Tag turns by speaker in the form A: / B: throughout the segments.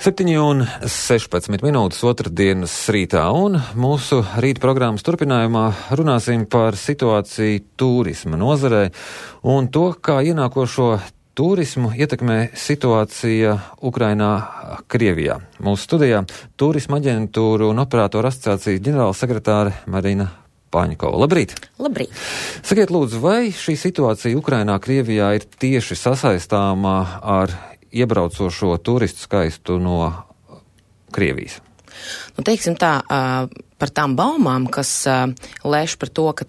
A: 7:16 otrdienas rītā, un mūsu rīta programmas turpinājumā runāsim par situāciju turisma nozarē un to, kā ienākošo turismu ietekmē situācija Ukrainā, Krievijā. Mūsu studijā turisma aģentūru un operātoru asociācijas ģenerālsekretāre Marina Paņkova. Labrīt!
B: Labrīt!
A: Sakiet lūdzu, vai šī situācija Ukrainā, Krievijā ir tieši sasaistāmā ar iebraucošo turistu skaitu no Krievijas?
B: Nu, teiksim tā, par tām baumām, kas lēš par to, ka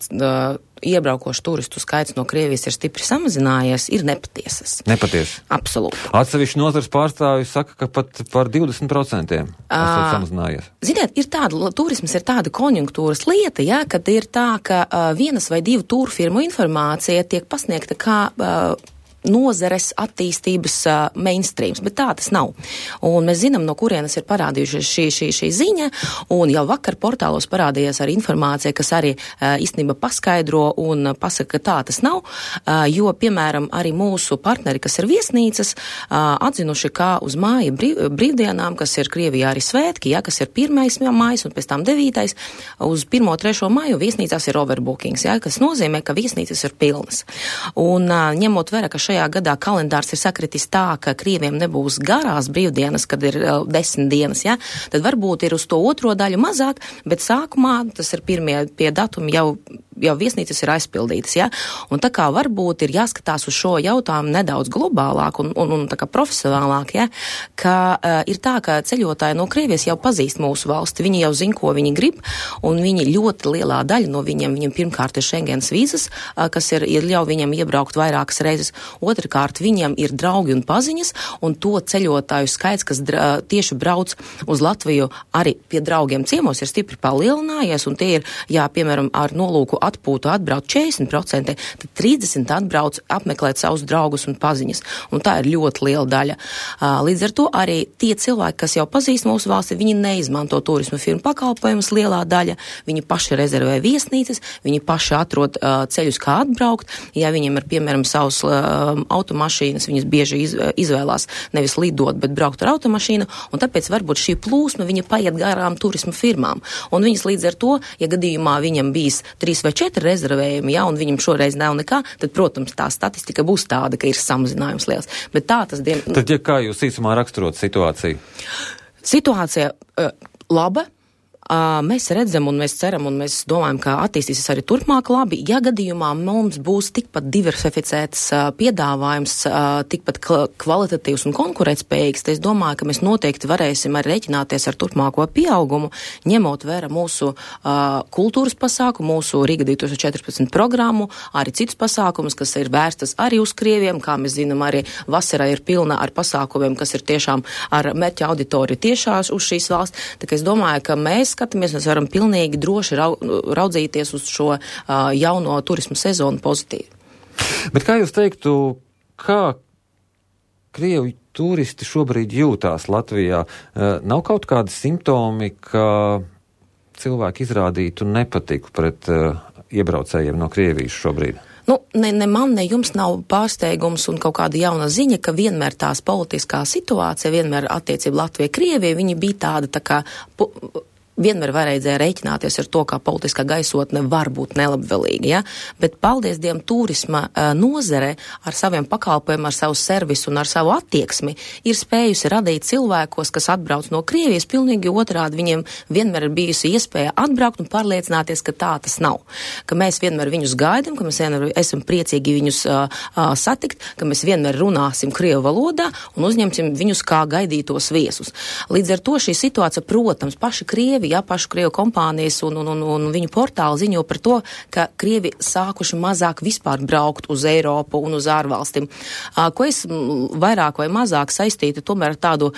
B: iebraukošu turistu skaits no Krievijas ir stipri samazinājies, ir nepatiesas.
A: Nepatiesi?
B: Absolūti.
A: Atsevišķi nozars pārstāvji saka, ka pat par 20% esot samazinājies.
B: Ziniet, turisms ir tāda konjunktūras lieta, ja, kad ir tā, ka vienas vai divu tūru firmu informācija tiek pasniegta kā nozares attīstības mainstreams, bet tā tas nav. Un mēs zinām, no kurienes ir parādījušies šī ziņa, un jau vakar portālos parādījās arī informācija, kas arī īstenībā paskaidro un pasaka, ka tā tas nav, jo, piemēram, arī mūsu partneri, kas ir viesnīcas, atzinuši, kā uz māja brīvdienām, kas ir Krievijā arī svētki, ja, kas ir 1. mājas un pēc tam 9. uz 1.3. māju viesnīcās ir overbookings, ja, kas nozīmē, ka viesnīcas ir pilnas. Un ņemot vērā, ka šajā gadā kalendārs ir sakritis tā, ka Krieviem nebūs garās brīvdienas, kad ir 10 dienas, ja, tad varbūt ir uz to otro daļu mazāk, bet sākumā, tas ir pirmie pie datumi, jau viesnīcas ir aizpildītas, ja, un tā kā varbūt ir jāskatās uz šo jautājumu nedaudz globālāk un tā kā profesionālāk, ja, ka ir tā, ka ceļotāji no Krievijas jau pazīst mūsu valsti, viņi jau zina, ko viņi grib, un viņi ļoti lielā daļa no viņiem pirmkārt ir Schengens vīzas, kas ir ļauj viņiem iebraukt vairākas reizes. Otrakārt, viņiem ir draugi un paziņas, un to ceļotāju skaits, kas tieši brauc uz Latviju arī pie draugiem ciemos, ir stipri palielinājies, un tie ir, jā, piemēram, ar nolūku atpūtu atbrauc 40%, tad 30% atbrauc apmeklēt savus draugus un paziņas, un tā ir ļoti liela daļa. Līdz ar to arī tie cilvēki, kas jau pazīst mūsu valsti, viņi neizmanto turisma firmu pakalpojumus lielā daļa, viņi paši rezervē viesnīcas, viņi paši atrod ceļus, kā atbraukt, ja viņiem ir, piemēram, savus automašīnas, viņas bieži izvēlās nevis lidot, bet braukt ar automašīnu, un tāpēc varbūt šī plūsma viņa paiet garām turisma firmām. Un viņas līdz ar to, ja gadījumā viņam bijis 3 vai 4 rezervējumi, ja, un viņam šoreiz nav nekā, tad, protams, tā statistika būs tāda, ka ir samazinājums liels. Bet tā tas
A: Tad, ja kā jūs īsumā raksturot situāciju?
B: Situācija laba. Mēs redzam un mēs ceram un mēs domājam, ka attīstīsies arī turpmāk labi. Ja gadījumā mums būs tikpat diversificēts piedāvājums, tikpat kvalitatīvs un konkurētspējīgs, tad es domāju, ka mēs noteikti varēsim arī rēķināties ar turpmāko pieaugumu, ņemot vērā mūsu kultūras pasākumu, mūsu Riga 2014 programmu, arī citus pasākumus, kas ir vērstas arī uz Krieviem, kā mēs zinām, arī vasarā ir pilna ar pasākumiem, kas ir tiešām ar mērķa auditoriju tiešās uz šīs valsts. Tā kā es domāju, ka mēs varam pilnīgi droši raudzīties uz šo jauno turismu sezonu pozitīvi.
A: Bet kā jūs teiktu, kā Krievu turisti šobrīd jūtās Latvijā? Nav kaut kādi simptomi, ka cilvēki izrādītu nepatiku pret iebraucējiem no Krievijas šobrīd?
B: Nu, ne man, ne jums nav pārsteigums un kaut kāda jauna ziņa, ka vienmēr tās politiskā situācija, vienmēr attiecība Latvija-Krievija, viņi bija tāda tā kā vienmēr varēja rēķināties ar to, kā politiskā gaisotne var būt nelabvēlīga, ja? Bet paldies Dievam turisma nozare ar saviem pakalpojumiem, ar savu servisu un ar savu attieksmi ir spējusi radīt cilvēkos, kas atbrauc no Krievijas, pilnīgi otrādi viņiem vienmēr ir bijusi iespēja atbraukt un pārliecināties, ka tā tas nav. Ka mēs vienmēr viņus gaidam, ka mēs vienmēr esam priecīgi viņus satikt, ka mēs vienmēr runāsim krievu valodā un uzņemsim viņus kā gaidītos viesus. Līdz ar to šī situācija, protams, paši Krievi, ja, pašu Krievu kompānijas un viņu portāli ziņo par to, ka Krievi sākuši mazāk vispār braukt uz Eiropu un uz ārvalstīm. Ko es vairāk vai mazāk saistītu tomēr ar tādu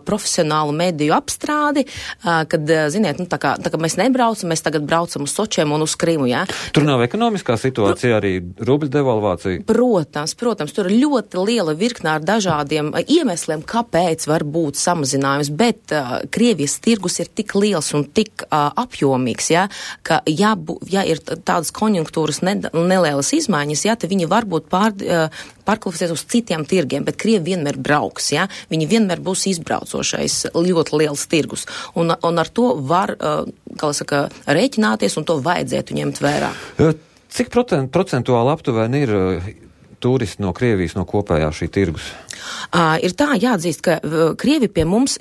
B: profesionālu mediju apstrādi, kad, ziniet, tā kā mēs nebraucam, mēs tagad braucam uz Sočiem un uz Krimu, ja.
A: Tur nav ekonomiskā situācija, arī rubļa devalvācija?
B: Protams, tur ir ļoti liela virknā ar dažādiem iemesliem, kāpēc var būt samazinājums, bet Krievijas tirgus ir tik liels liels un tik apjomīgs, ja, ka ja ir tādas konjunktūras nelielas izmaiņas, ja, tad viņi varbūt pārkvalificēs uz citiem tirgiem, bet Krievi vienmēr brauks, ja, viņi vienmēr būs izbraucošais ļoti liels tirgus, un ar to var, kā saka, rēķināties, un to vajadzētu ņemt vērā.
A: Cik procentuāli aptuveni ir turisti no Krievijas no kopējā šī tirgus?
B: Ir tā jāatzīst, ka Krievi pie mums,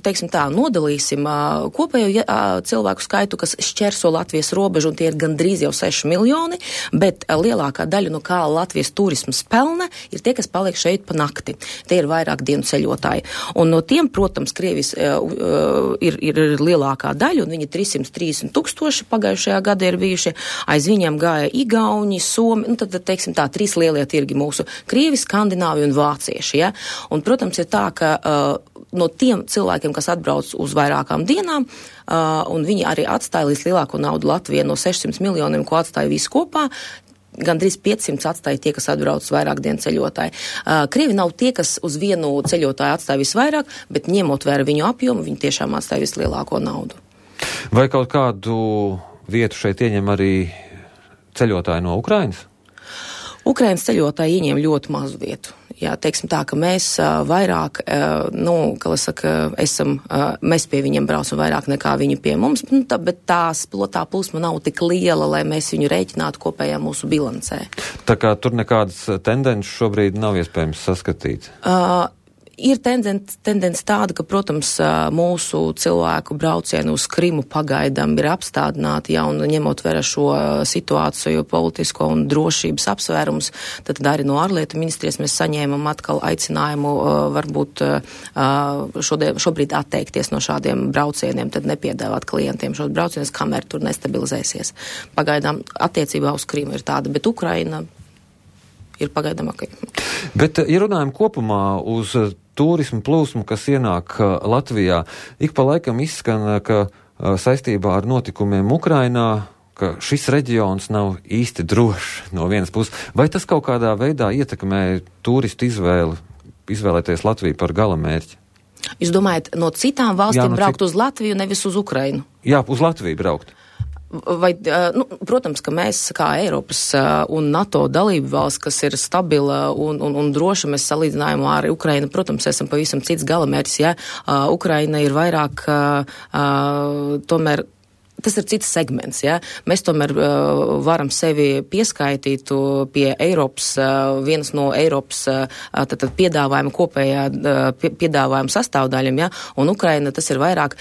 B: teiksim tā, nodalīsim kopējo cilvēku skaitu, kas šķērso Latvijas robežu, un tie ir gandrīz jau 6 miljoni, bet lielākā daļa no kā Latvijas turismas pelna ir tie, kas paliek šeit pa nakti. Tie ir vairāk dienu ceļotāji. Un no tiem, protams, Krievijas ir lielākā daļa, un viņi 330 000 pagājušajā gadā ir bijuši. Aiz viņiem gāja Igauņi, Somi, nu tad, teiksim tā, 3 lielie tirgi mūsu - Krievi, Skandināvi un Vācieši. Ja? Un, protams, ir tā, ka no tiem cilvēkiem, kas atbrauc uz vairākām dienām, un viņi arī atstāja līdz lielāko naudu Latvijā no 600 miljoniem, ko atstāja visi kopā, gandrīz 500 atstāja tie, kas atbrauc uz vairāk dienu ceļotāji. Krievi nav tie, kas uz vienu ceļotāju atstāja visvairāk, bet ņemot vērā viņu apjomu, viņi tiešām atstāja vislielāko naudu.
A: Vai kaut kādu vietu šeit ieņem arī ceļotāji no Ukrainas?
B: Ukrainas ceļotāji ieņem ļoti mazu vietu. Jā, teiksim tā, ka mēs vairāk, mēs pie viņiem braucam vairāk nekā viņi pie mums, bet tā plūsma nav tik liela, lai mēs viņu rēķinātu kopējā mūsu bilancē. Tā
A: kā tur nekādas tendences šobrīd nav iespējams saskatīt?
B: Ir tendence tāda, ka, protams, mūsu cilvēku braucienu uz Krimu pagaidām ir apstādināti, ja, un ņemot vērā šo situāciju, politisko un drošības apsvērums, tad arī no ārlietu ministrijas mēs saņēmam atkal aicinājumu varbūt šobrīd atteikties no šādiem braucieniem, tad nepiedāvāt klientiem šos braucienus, kamēr tur nestabilizēsies. Pagaidām attiecībā uz Krimu ir tāda, bet Ukraina ir pagaidām ok.
A: Bet, ja runājam kopumā uz turismu plūsmu, kas ienāk Latvijā, ik pa laikam izskan, ka saistībā ar notikumiem Ukrainā, ka šis reģions nav īsti drošs no vienas puses. Vai tas kaut kādā veidā ietekmē turistu izvēlēties Latviju par galamērķi?
B: Jūs domājat, no citām valstīm braukt uz Latviju, nevis uz Ukrainu?
A: Jā, uz Latviju braukt.
B: Vai, protams, ka mēs kā Eiropas un NATO dalību valsts, kas ir stabila un droša, mēs salīdzinājumā ar Ukrainu, protams, esam pavisam cits galamērķis, ja. Ukraina ir vairāk tomēr. Tas ir cits segments, ja. Mēs tomēr varam sevi pieskaitīt pie Eiropas, vienas no Eiropas piedāvājuma kopējā piedāvājuma sastāvdaļam, ja. Un Ukraina tas ir vairāk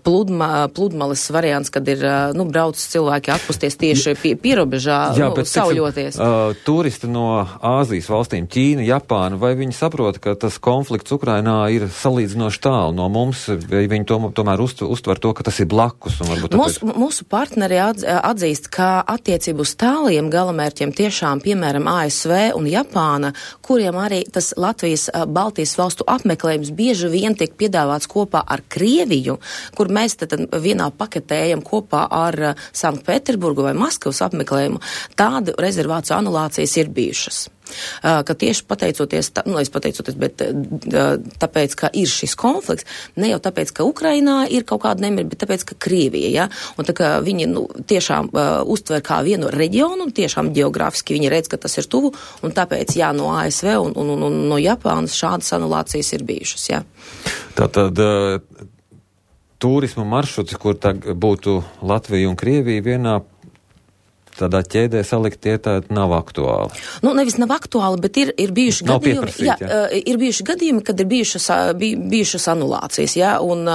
B: pludmales variants, kad ir, brauc cilvēki atpusties tieši pierobežā, sauļoties.
A: Turisti no Āzijas valstīm, Ķīna, Japāna, vai viņi saprot, ka tas konflikts Ukrainā ir salīdzinoši tālu no mums, vai viņi tomēr uztver to, ka tas ir blakus?
B: Mūsu partneri atzīst, ka attiecību uz tāliem galamērķiem tiešām, piemēram, ASV un Japāna, kuriem arī tas Latvijas Baltijas valstu apmeklējums bieži vien tiek piedāvāts kopā ar Krieviju, kur mēs tad vienā paketē ejam kopā ar Sanktpēterburgu vai Maskavas apmeklējumu, tādu rezervāciju anulācijas ir bijušas. Ka tieši bet tāpēc, ka ir šis konflikts, ne jau tāpēc, ka Ukrainā ir kaut kāda nemira, bet tāpēc, ka Krievija, ja, un tā kā viņi tiešām uztver kā vienu reģionu, un tiešām geogrāfiski viņi redz, ka tas ir tuvu, un tāpēc, jā, no ASV un no Japānas šādas anulācijas ir bijušas, jā.
A: Tātad turismu maršruti, kur būtu Latvija un Krievija vienā tādā ķēdē salikt, tā nav aktuāli.
B: Nevis nav aktuāli, bet ir bijuši gadījumi, ir bijuši gadījumi, kad ir bijušas anulācijas, jā, un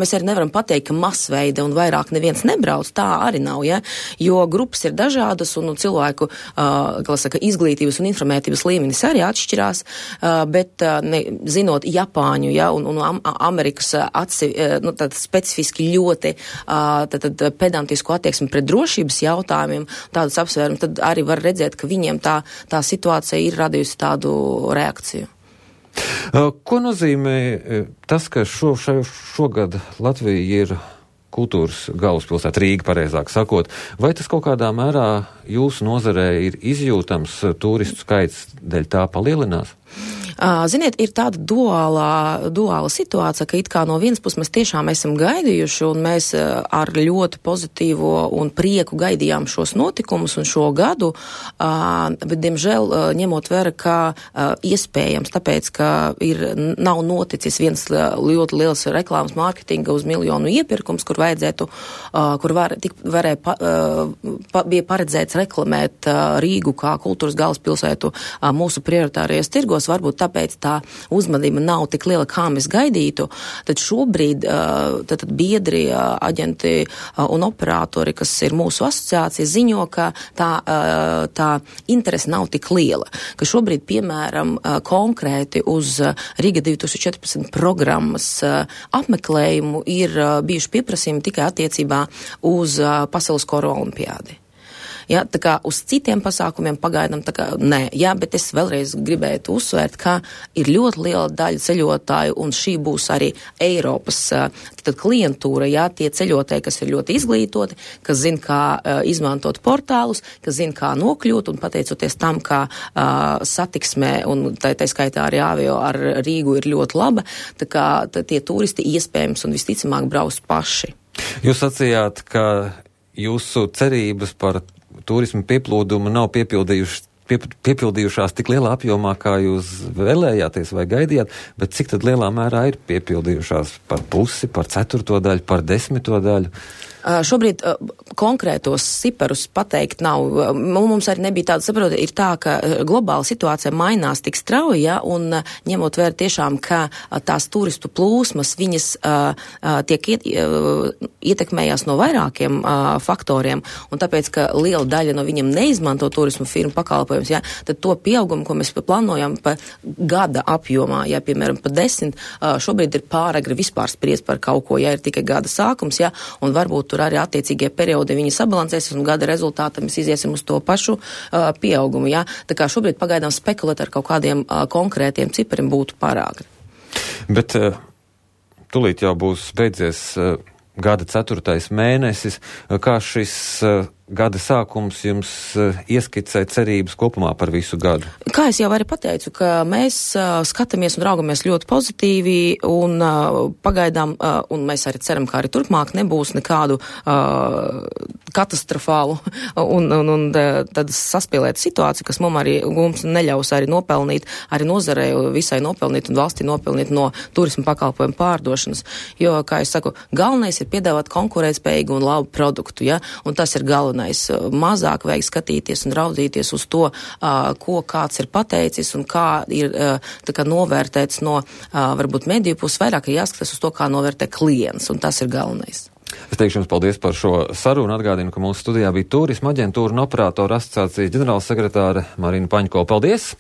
B: mēs arī nevaram pateikt, ka masveida un vairāk neviens nebrauc, tā arī nav, jā, jo grupas ir dažādas un cilvēku, izglītības un informētības līmenis arī atšķirās, bet zinot Japāņu, jā, un Amerikas specifiski ļoti pedantisku attieksmi pret drošības jautājumiem, tādus apsvērumus, tad arī var redzēt, ka viņiem tā situācija ir radījusi tādu reakciju.
A: Ko nozīmē tas, ka šogad Latvija ir kultūras galvaspilsēta, Rīga, pareizāk sakot, vai tas kaut kādā mērā jūsu nozarē ir izjūtams, turistu skaits dēļ tā palielinās?
B: Ziniet, ir tāda duāla situācija, ka it kā no vienas puses mēs tiešām esam gaidījuši un mēs ar ļoti pozitīvo un prieku gaidījām šos notikumus un šo gadu, bet, diemžēl, ņemot vērā, ka iespējams, tāpēc, ka nav noticis viens ļoti liels reklāmas mārketinga uz miljonu iepirkums, kur vajadzētu, bija paredzēts reklamēt Rīgu kā kultūras galvaspilsētu mūsu prioritārajos tirgos, varbūt tāpēc tā uzmanība nav tik liela, kā mēs gaidītu, tad šobrīd tad biedri, aģenti un operatori, kas ir mūsu asociācija, ziņo, ka tā interese nav tik liela, ka šobrīd, piemēram, konkrēti uz Riga 2014 programmas apmeklējumu ir bijuši pieprasījumi tikai attiecībā uz Pasaules kora olimpiādi. Ja, tā kā uz citiem pasākumiem pagaidām tā kā nē, jā, bet es vēlreiz gribētu uzsvērt, ka ir ļoti liela daļa ceļotāju un šī būs arī Eiropas klientūra, jā, tie ceļotāji, kas ir ļoti izglītoti, kas zina, kā izmantot portālus, kas zina, kā nokļūt un pateicoties tam, kā satiksmē un tā skaitā arī avio ar Rīgu ir ļoti laba, tā kā tie turisti iespējams un visticamāk brauc paši.
A: Jūs sacījāt, ka jūsu cerības par turismu pieplūdumu nav piepildījušās tik lielā apjomā, kā jūs vēlējāties vai gaidījāt, bet cik tad lielā mērā ir piepildījušās par pusi, par 1/4 daļu, par 10 daļu?
B: Šobrīd konkrētos ciparus pateikt nav. Mums arī nebija tāda, saprotiet, ir tā, ka globāla situācija mainās tik strauji, ja, un ņemot vērā tiešām, ka tās turistu plūsmas, viņas tiek ietekmējās no vairākiem faktoriem, un tāpēc, ka liela daļa no viņiem neizmanto turismu firmu pakalpojumus, ja, tad to pieaugumu, ko mēs plānojam pa gada apjomā, ja, piemēram, pa 10, šobrīd ir pāragri vispār spriest par kaut ko, ja ir tikai gada sākums, ja, un varbūt tur arī attiecīgie periodi viņi sabalansēsies un gada rezultātā mēs iziesim uz to pašu pieaugumu. Ja? Tā kā šobrīd pagaidām spekulēt ar kaut kādiem konkrētiem cipariem būtu pārāk.
A: Bet tūlīt jau būs beidzies gada 4. mēnesis. Kā šis gada sākums jums ieskicē cerības kopumā par visu gadu?
B: Kā es jau arī pateicu, ka mēs skatāmies un raugamies ļoti pozitīvi un pagaidām, un mēs arī ceram, ka arī turpmāk nebūs nekādu katastrofālu un tad saspīlēt situāciju, kas mums neļaus arī nopelnīt, arī nozarei visai nopelnīt un valstī nopelnīt no turismu pakalpojumu pārdošanas. Jo, kā es saku, galvenais ir piedāvāt konkurētspējīgu un labu produktu, ja, un tas ir galvenais. Mazāk vajag skatīties un raudzīties uz to, ko kāds ir pateicis un kā ir tā kā novērtēts no varbūt mediju puses, vairāk ir jāskatās uz to, kā novērtē klients, un tas ir galvenais.
A: Es teikšu jums paldies par šo sarunu. Atgādinu, ka mūsu studijā bija turisma aģentūra un operātora asociācijas ģenerālsekretāre Marina Paņko. Paldies!